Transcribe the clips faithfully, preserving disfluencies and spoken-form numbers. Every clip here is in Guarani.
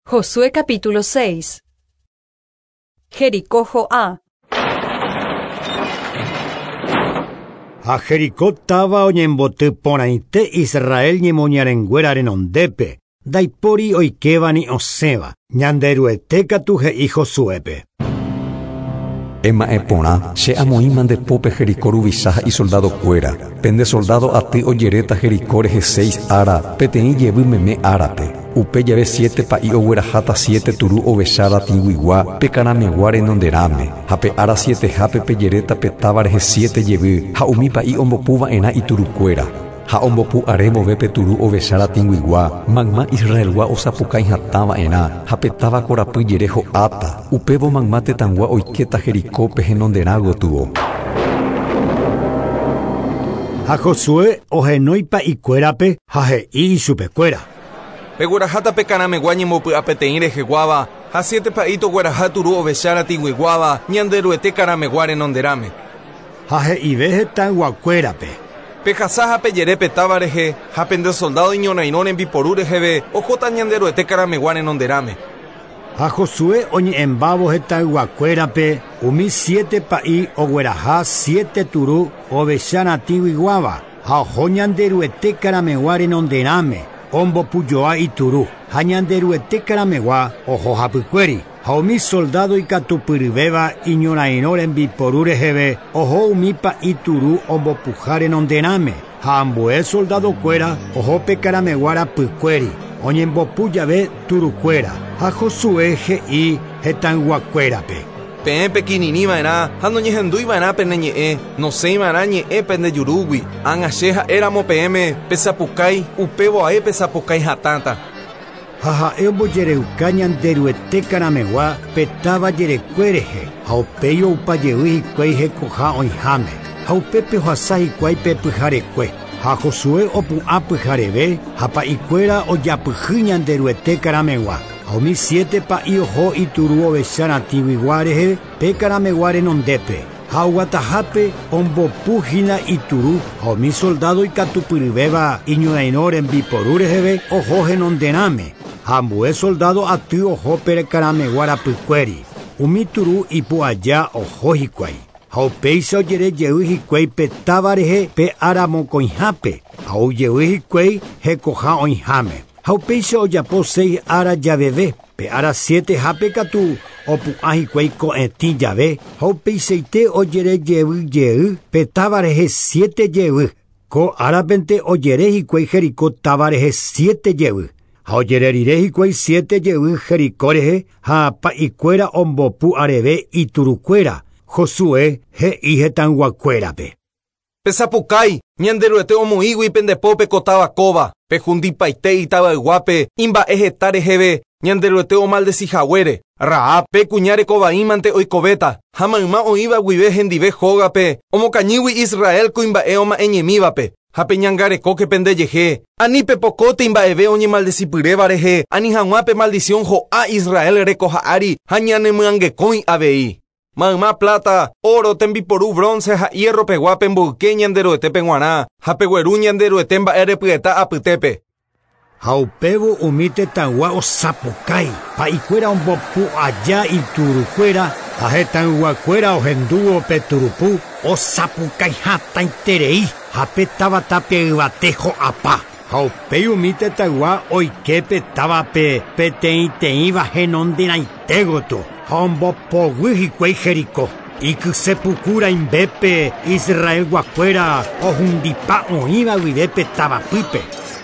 Josué capítulo seis. Jericó ho'a. Ha Jericó táva oñemboty porãite Israel ñemoñarenguéra renondépe, ndaipóri oikéva ni osẽva. Ñanderuete katu he'i Josuépe. Ema'ẽ porã, che amoĩma nde pópe Jericó ruvicha ha isoldadokuéra. Pende soldado aty ojeréta Jericó rehe seis ára, peteĩ jevy meme árape. Upe jave siete pa'i ogueraháta siete turu ovecha ratĩguigua pe karamegua renonderãme. Ha pe ára sietehápe pejeréta pe táva rehe siete jevy ha umi pa'i ombopuva'erã iturukuéra. Ha ombopu are vove pe turu ovecha ratĩguigua, mayma Israelgua osapukái hatãva'erã ha pe táva korapy jere ho'áta. Upévo mayma tetãgua oikéta Jericópe henonderã gotyo. Ha Josué ohenói pa'ikuérape ha he'i ichupekuéra. Pegueraháta pe karamegua ñembopy'a peteĩ reheguáva ha siete pa'i togueraha turu ovecha ratĩguiguáva Ñanderuete karamegua renonderãme. Ha he'ive hetãyguakuérape. Pehasa ha pejere pe táva rehe ha pende soldado iñorairõ rembiporu reheve ohóta Ñanderuete karamegua renonderãme. Ha Josué oñe'ẽmbávo hetãyguakuérape umi siete pa'i ogueraha siete turu ovecha ratĩguiguáva ha oho Ñanderuete karamegua renonderãme ombopujoa ituru ha Ñanderuete karamegua oho hapykuéri ha umi soldado ikatupyryvéva iñorairõ rembiporu reheve oho umi pa'i turu ombopuha renonderãme ha ambue soldadokuéra oho pe karamegua rapykuéri oñembopu jave turukuéra ha Josué he'i hetãyguakuérape. Peẽ pekirirĩva'erã ha noñehendúiva'erã pene ñe'ẽ, nosẽiva'erã ñe'ẽ pende jurúgui. Ág̃a che ha'éramo peẽme pesapukái, upévo ae pesapukái hatãta. Ha ha'e ombojereuka Ñanderuete karamegua pe táva jerekue rehe ha upéi oupajey hikuái hekoha oĩháme ha upépe ohasa hikuái pe pyharekue. Ha Josué opu'ã pyhareve ha pa'ikuéra ojapyhy Ñanderuete karamegua. Ha umi siete pa'i oho ituru ovecha ratĩguigua rehe pe karamegua renondépe. Ha oguatahápe ombopuhína ituru ha umi soldado ikatupyryvéva iñorairõ rembiporu reheve oho henonderãme. Ha ambue soldado aty oho pe karamegua rapykuéri. Umi turu ipu'aja oho hikuái. Ha upéicha ojerejey hikuái pe táva rehe pe ára mokõihápe ha oujey hikuái hekoha oĩháme. Ha upéicha ojapo seis ára javeve pe ára sietehápe katu opu'ã hikuái ko'ẽtĩ jave ha upeichaite ojerejeyjey pe táva rehe siete jevy. Ko árapente ojere hikuái Jericó táva rehe siete jevy. Ha ojererire hikuái siete jevy Jericó rehe ha pa'ikuéra ombopu areve iturukuéra. Josué he'i hetãyguakuérape. Pesapukái, Ñanderuete omoĩgui pendepópe ko táva kóva, pehundipaite itavayguápe imba'e heta reheve Ñanderuete omaldecihaguére. Rahab pe kuña rekovaímante oikovéta ha mayma oĩva guive hendive hógape omokañýgui Israel kuimba'e oma'ẽñemívape. Ha peñangarekóke pendejehe, ani pepokóte imba'eve oñemaldecipyréva rehe, ani hag̃ua pe maldición ho'a Israel rekoha'ári ha ñanemyangekõi avei. Mayma plata, oro, tembiporu, bronce ha hierro pegua pemboyke Ñanderuetépe g̃uarã ha pegueru Ñanderuete mba'erepyeta apytépe. Ha upévo umi tetãygua osapukái, pa'ikuéra ombopu aja iturukuéra ha hetãyguakuéra ohendúvo pe turupu osapukái hatãiterei ha pe táva tape yvate ho'apa. Ha upéi umi tetãygua oike pe távape peteĩteĩva henonderãite gotyo ha ombopoguy hikuái Jericó. Ikysepuku rãimbépe Israelguakuéra ohundipa oĩva guive pe tavapýpe.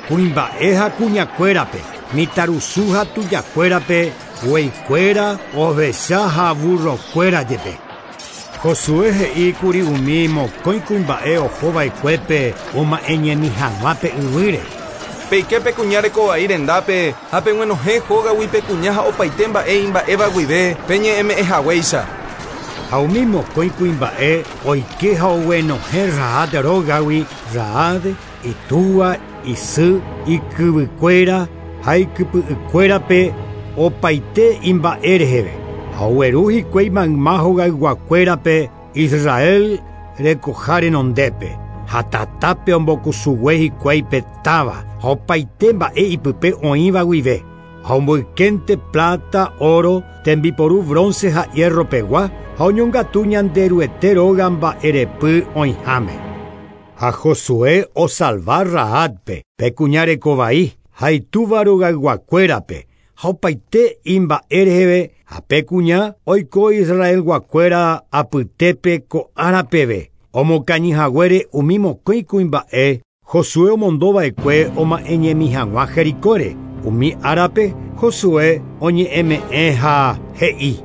Kuimba'e ha kuñakuérape, mitãrusu ha tujakuérape, gueikuéra, ovecha ha burrokuéra jepe. Josué he'íkuri umi mokõi kuimba'e ohova'ekuépe oma'ẽñemi hag̃ua pe yvýre. Peike pe kuña rekovai rendápe ha peguenohẽ hógagui pe kuña ha opaite mba'e imba'éva guive peñe'ẽme'ẽhaguéicha. Ha umi mokõi kuimba'e oike ha oguenohẽ Rahab rógagui Rahab, itúva, isy, ikyvykuéra ha ikypy'ykuérape opaite imba'e reheve. Ha ogueru hikuái mayma hogayguakuérape Israel rekoha renondépe. Ha tatápe ombokusugue hikuái pe táva ha opaite mba'e ipype oĩva guive. Ha omboykente plata, oro, tembiporu bronce ha hierro pegua, ha oñongatu Ñanderuete róga mba'erepy oĩháme. Ha Josué osalva Rahabpe, pe kuña rekovai, ha itúva rogayguakuérape, ha opaite imba'e reheve, ha pe kuña oiko Israelguakuéra apytépe ko ára peve. Omokañyhaguére umi mokõi kuimba'e, Josué omondova'ekue oma'ẽñemi hag̃ua Jericóre. Umi árape Josué oñe'ẽme'ẽ ha he'i: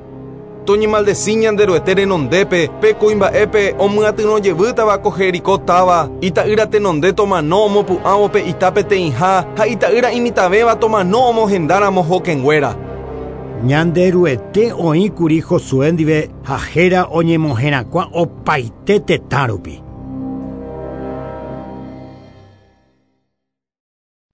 Toñemaldeci Ñanderuete renondépe, pe kuimba'épe omyatyrõjevýtava ko Jericó táva, ita'ýra tenonde tomano omopu'ãvo pe ita peteĩha ha ita'ýra imitãvéva tomano omohendáramo hokẽnguéra. Ñanderuete oĩkuri Josué ndive ha héra oñemoherakuã opaite tetã rupi.